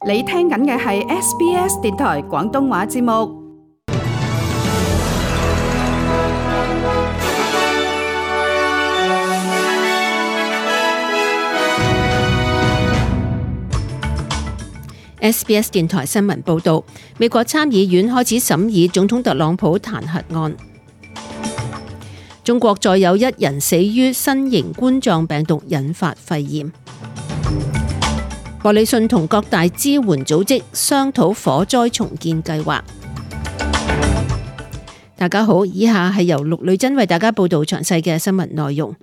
你聽緊嘅係 SBS 電台廣東話節目。SBS 電台新聞報導，美國參議院開始審議總統特朗普彈劾案。中國再有1人死於新型冠狀病毒引發肺炎。莫里遜同各大支援組織商討火災重建計劃。大家好，以下係由陸女真為大家報導詳細嘅新聞內容。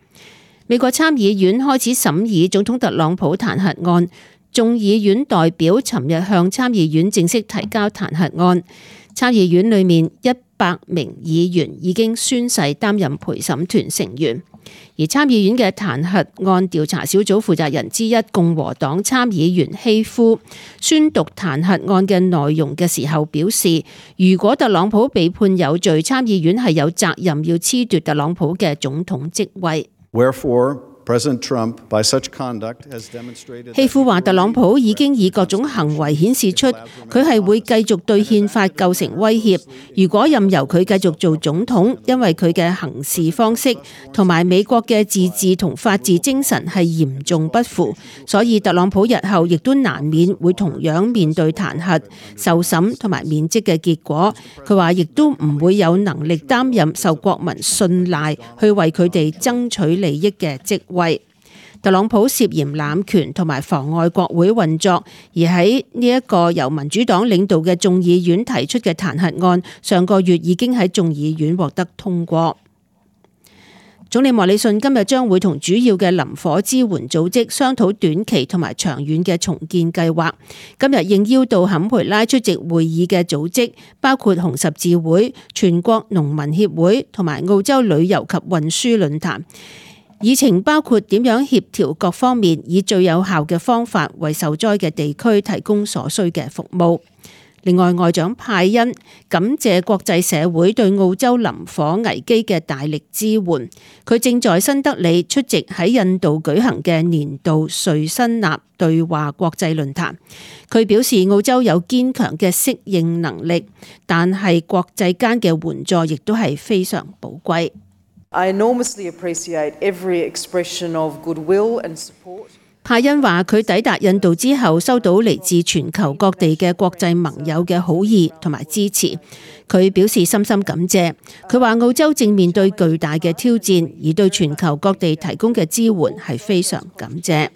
美國參議院開始審議總統特朗普彈劾案。眾議院代表尋日向參議院正式提交彈劾案，參議院裏面100名議員已經宣誓擔任陪審團成員，而參議院嘅彈劾案調查小組負責人之一共和黨參議員希夫宣讀彈劾案嘅內容嘅時候表示，如果特朗普被判有罪，參議院係有責任要褫奪特朗普嘅總統職位。希夫話：特朗普已經以各種行為顯示出佢係會繼續對憲法構成威脅。如果任由佢繼續做總統，因為佢嘅行事方式同埋美國嘅自治同法治精神係嚴重不符，所以特朗普日後亦都難免會同樣面對彈劾、受審同埋免職嘅結果。佢話亦都唔會有能力擔任受國民信賴去為佢哋爭取利益嘅職位。特朗普涉嫌濫權同埋妨礙國會運作，而喺呢一個由民主黨領導嘅眾議院提出嘅彈劾案，上個月已經喺眾議院獲得通過。總理莫里遜今日將會同主要嘅林火支援組織商討短期同埋長遠嘅重建計劃。今日應邀到坎培拉出席會議嘅組織包括紅十字會、全國農民協會同埋澳洲旅遊及運輸論壇。議程包括點樣協調各方面，以最有效嘅方法為受災嘅地區提供所需嘅服務。另外，外長派恩感謝國際社會對澳洲林火危機嘅大力支援。佢正在新德里出席喺印度舉行嘅年度瑞辛納對話國際論壇。佢表示澳洲有堅強嘅適應能力，但係國際間嘅援助亦都係非常寶貴。I enormously appreciate every expression of goodwill and support. 派恩話：佢抵達印度之後，收到嚟自全球各地嘅國際盟友嘅好意同埋支持。佢表示深深感謝。佢話澳洲正面對巨大嘅挑戰，而對全球各地提供嘅支援係非常感謝。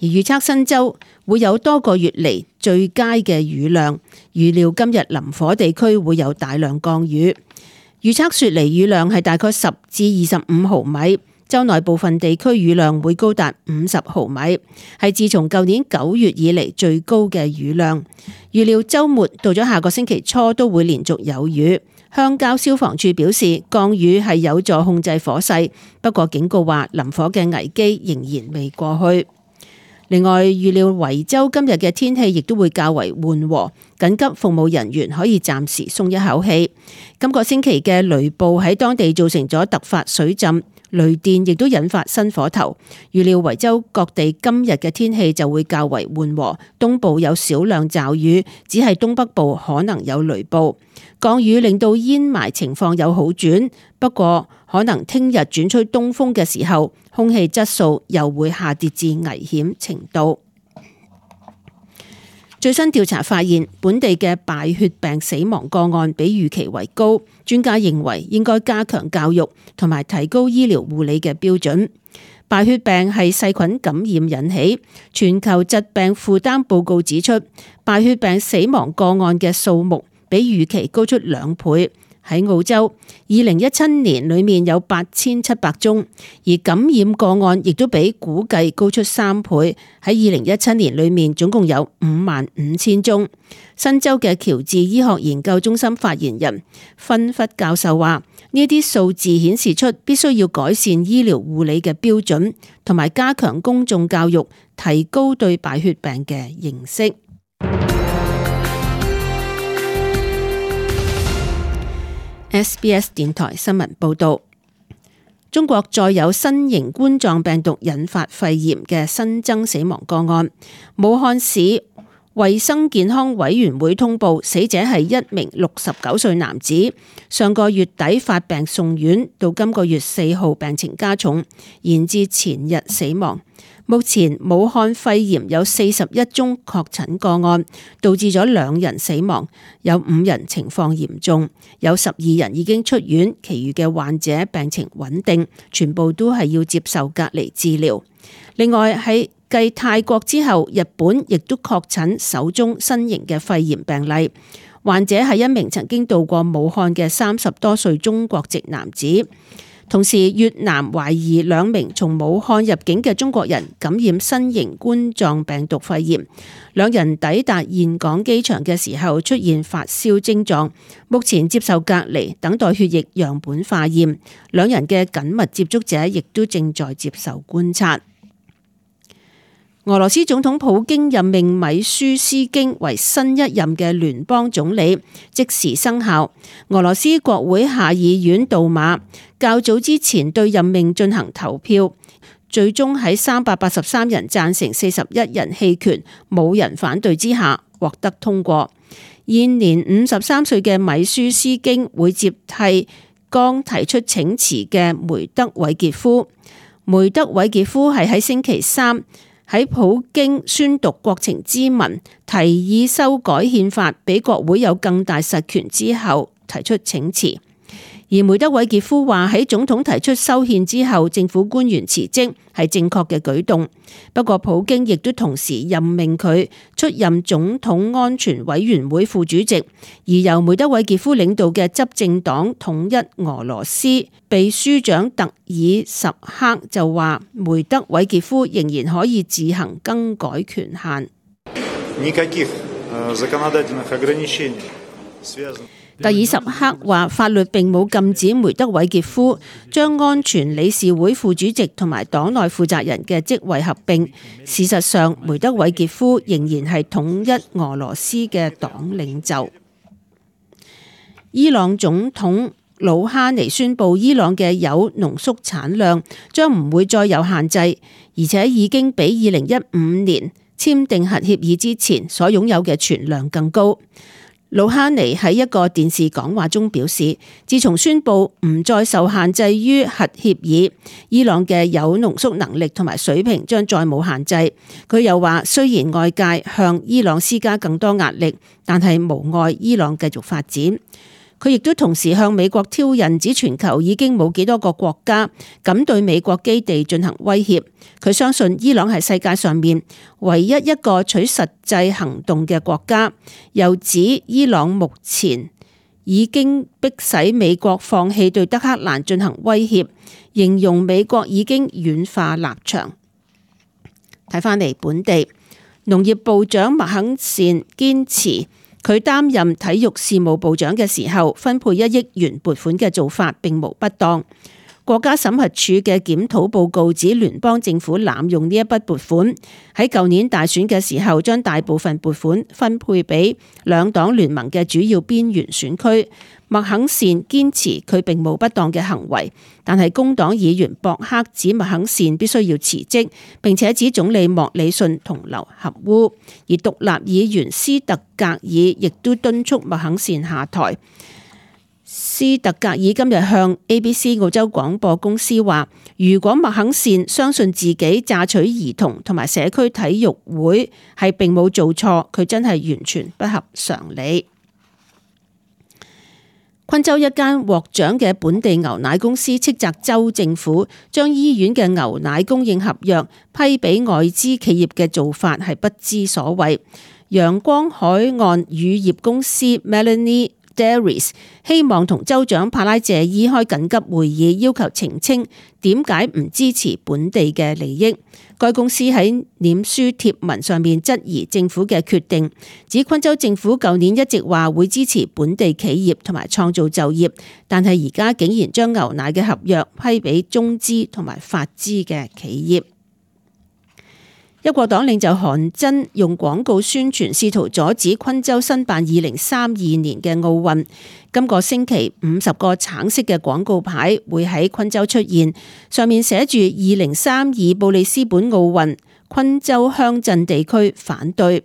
而預測新州會有多個月嚟最佳嘅雨量，預料今日林火地區會有大量降雨。預測雪梨雨量係大概10至25毫米，州內部分地區雨量會高達50毫米，係自從舊年9月以嚟最高嘅雨量。預料週末到咗下個星期初都會連續有雨。鄉郊消防處表示降雨係有助控制火勢，不過警告話林火嘅危機仍然未過去。另外，預料維州今日嘅天氣亦都會較為緩和，緊急服務人員可以暫時鬆一口氣。今個星期嘅雷暴喺當地造成咗突發水浸，雷電亦都引發新火頭。預料維州各地今日嘅天氣就會較為緩和，東部有少量驟雨，只係東北部可能有雷暴。降雨令到煙霾情況有好轉，不過可能聽日轉吹東風嘅時候，空氣質素又會下跌至危險程度。最新調查發現，本地嘅敗血病死亡個案比預期為高，專家認為應該加強教育同埋提高醫療護理嘅標準。敗血病係細菌感染引起，全球疾病負擔報告指出，敗血病死亡個案嘅數目比預期高出2倍。喺澳洲，2017年裏面有8700宗，而感染個案亦都比估計高出3倍。喺2017年裏面總共有55000宗。新州嘅喬治醫學研究中心發言人芬弗教授話：呢啲數字顯示出必須要改善醫療護理嘅標準，同埋加強公眾教育，提高對敗血病嘅認識。SBS 電台新聞報道，中國再有新型冠狀病毒引發肺炎嘅新增死亡個案。武漢市衛生健康委員會通報，死者係一名69歲男子，上個月底發病送院，到今個月4號病情加重，延至前日死亡。目前武漢肺炎有41宗確診個案，導致咗2人死亡，有5人情況嚴重，有12人已經出院，其餘嘅患者病情穩定，全部都係要接受隔離治療。另外喺繼泰國之後，日本亦都確診首宗新型嘅肺炎病例，患者係一名曾經到過武漢嘅30多歲中國籍男子。同時，越南懷疑2名從武漢入境嘅中國人感染新型冠狀病毒肺炎，2人抵達峴港機場嘅時候出現發燒症狀，目前接受隔離，等待血液樣本化驗。2人嘅緊密接觸者亦都正在接受觀察。俄羅斯總統普京任命米舒斯京為新一任嘅聯邦總理，即時生效。俄羅斯國會下議院杜馬較早之前對任命進行投票，最終喺383人贊成、41人棄權、冇人反對之下獲得通過。現年53歲嘅米舒斯京會接替剛提出請辭嘅梅德韋傑夫。梅德韋傑夫係喺星期三喺普京宣讀國情咨文，提議修改憲法，俾國會有更大實權之後提出請辭。而梅德韋傑夫話喺總統提出修憲之後，政府官員辭職係正確嘅舉動。不過普京亦都同時任命佢出任總統安全委員會副主席，而由梅德韋傑夫領導嘅執政黨統一俄羅斯秘書長特爾什克就話，梅德韋傑夫仍然可以自行更改權限。特爾什克話，法律並冇禁止梅德韋傑夫將安全理事會副主席同埋黨內負責人嘅職位合併。事實上，梅德韋傑夫仍然係統一俄羅斯嘅黨領袖。伊朗總統魯哈尼宣布，伊朗嘅鈾濃縮產量將唔會再有限制，而且已經比2015年簽訂核協議之前所擁有嘅存量更高。魯哈尼喺一個電視講話中表示，自從宣布唔再受限制於核協議，伊朗嘅鈾濃縮能力同埋水平將再冇限制。佢又話，雖然外界向伊朗施加更多壓力，但係無礙伊朗繼續發展。佢亦都同時向美國挑釁，指全球已經冇幾多個國家敢對美國基地進行威脅。佢相信伊朗係世界上面唯一一個取實際行動嘅國家，又指伊朗目前已經迫使美國放棄對德黑蘭進行威脅，形容美國已經軟化立場。睇返嚟本地，農業部長麥肯善堅持，佢擔任體育事務部長嘅時候，分配1億元撥款嘅做法並無不當。國家審核處嘅檢討報告指，聯邦政府濫用呢一筆撥款，喺舊年大選嘅時候將大部分撥款分配俾兩黨聯盟嘅主要邊緣選區。麥肯善堅持佢並冇不當嘅行為，但係工黨議員博克指麥肯善必須要辭職，並且指總理莫里遜同流合污。而獨立議員斯特格爾亦都敦促麥肯善下台。斯特格爾今日向 ABC 澳洲廣播公司話，如果麥肯善相信自己榨取兒童同埋社區體育會係並冇做錯，佢真係完全不合常理。昆州一間獲獎嘅本地牛奶公司斥責州政府將醫院嘅牛奶供應合約批俾外資企業嘅做法係不知所謂。陽光海岸乳業公司 Melanie Dairies 希望同州長帕拉謝伊開緊急會議，要求澄清點解唔支持本地嘅利益。該公司喺臉書貼文上面質疑政府嘅決定，指昆州政府舊年一直話會支持本地企業同埋創造就業，但係而家竟然將牛奶嘅合約批俾中資同埋法資嘅企業。一國黨領袖韓真用廣告宣傳，試圖阻止昆州申辦2032年嘅奧運。今個星期50個橙色嘅廣告牌會喺昆州出現，上面寫住2032布里斯本奧運，昆州鄉鎮地區反對。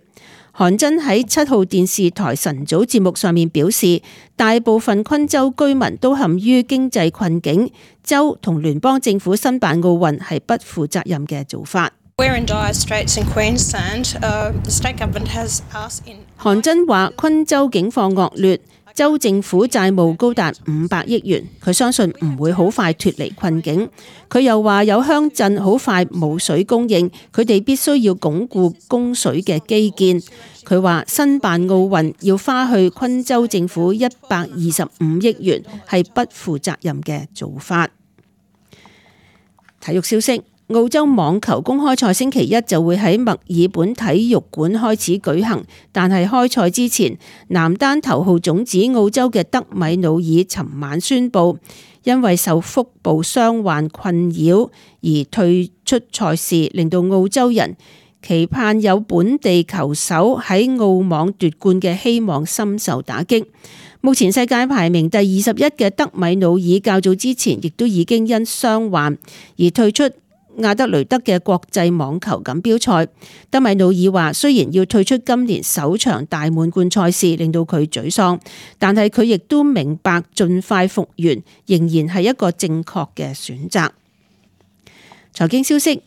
韓真喺7號電視台晨早節目上面表示，大部分昆州居民都陷於經濟困境，州同聯邦政府申辦奧運係不負責任嘅做法。韓真話昆州境況惡劣，州政府債務高達500億元，佢相信唔會好快脫離困境。佢又話有鄉鎮好快冇水供應，佢哋必須要鞏固供水嘅基建。佢話申辦奧運要花去昆州政府125億元，係不負責任嘅做法。體育消息。澳洲網球公開賽星期一就會喺墨爾本體育館開始舉行，但係開賽之前，男單頭號種子澳洲嘅德米努爾尋晚宣布，因為受腹部傷患困擾而退出賽事，令到澳洲人期盼有本地球手喺澳網奪冠嘅希望深受打擊。目前世界排名第21嘅德米努爾較早之前亦都已經因傷患而退出亞德雷德嘅國際網球錦標賽。德米努爾話，雖然要退出今年首場大滿貫賽事令到佢沮喪，但係佢亦都明白盡快復原仍然係一個正確嘅選擇。財經消息，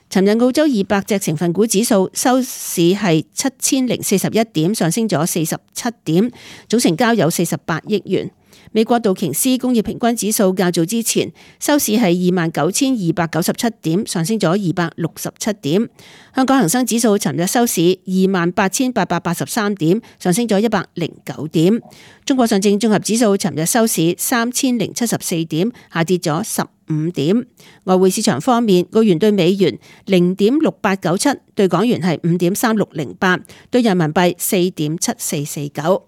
尋日澳洲200隻成分股指數收市係7041點，上升咗47點，總成交有48億元。美國道瓊斯工業平均指數較早之前收市係29,297點，上升咗267點。香港恒生指數尋日收市28,883點，上升咗109點。中國上證綜合指數尋日收市3074點，下跌咗15點。外匯市場方面，澳元對美元0.6897，對港元係5.3608，對人民幣4.7449。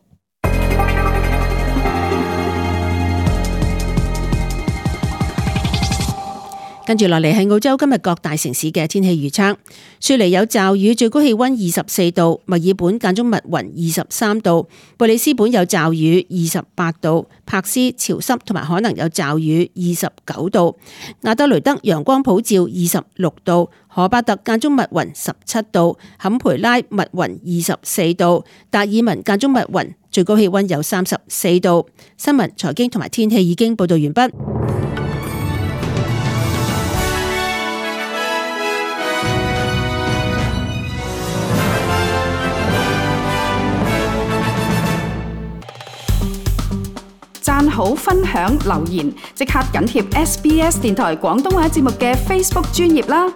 跟住落嚟係澳洲今日各大城市嘅天氣預測。雪梨有驟雨，最高氣溫24度；墨爾本間中密雲23度；布里斯本有驟雨28度；柏斯潮濕同埋可能有驟雨29度；亞德雷德陽光普照26度；荷巴特間中密雲17度；坎培拉密雲24度；達爾文間中密雲，最高氣溫有34度。新聞、財經同埋天氣已經報道完畢。讚好、分享、留言，即刻緊貼SBS 電台廣東話節目嘅 Facebook 專頁啦！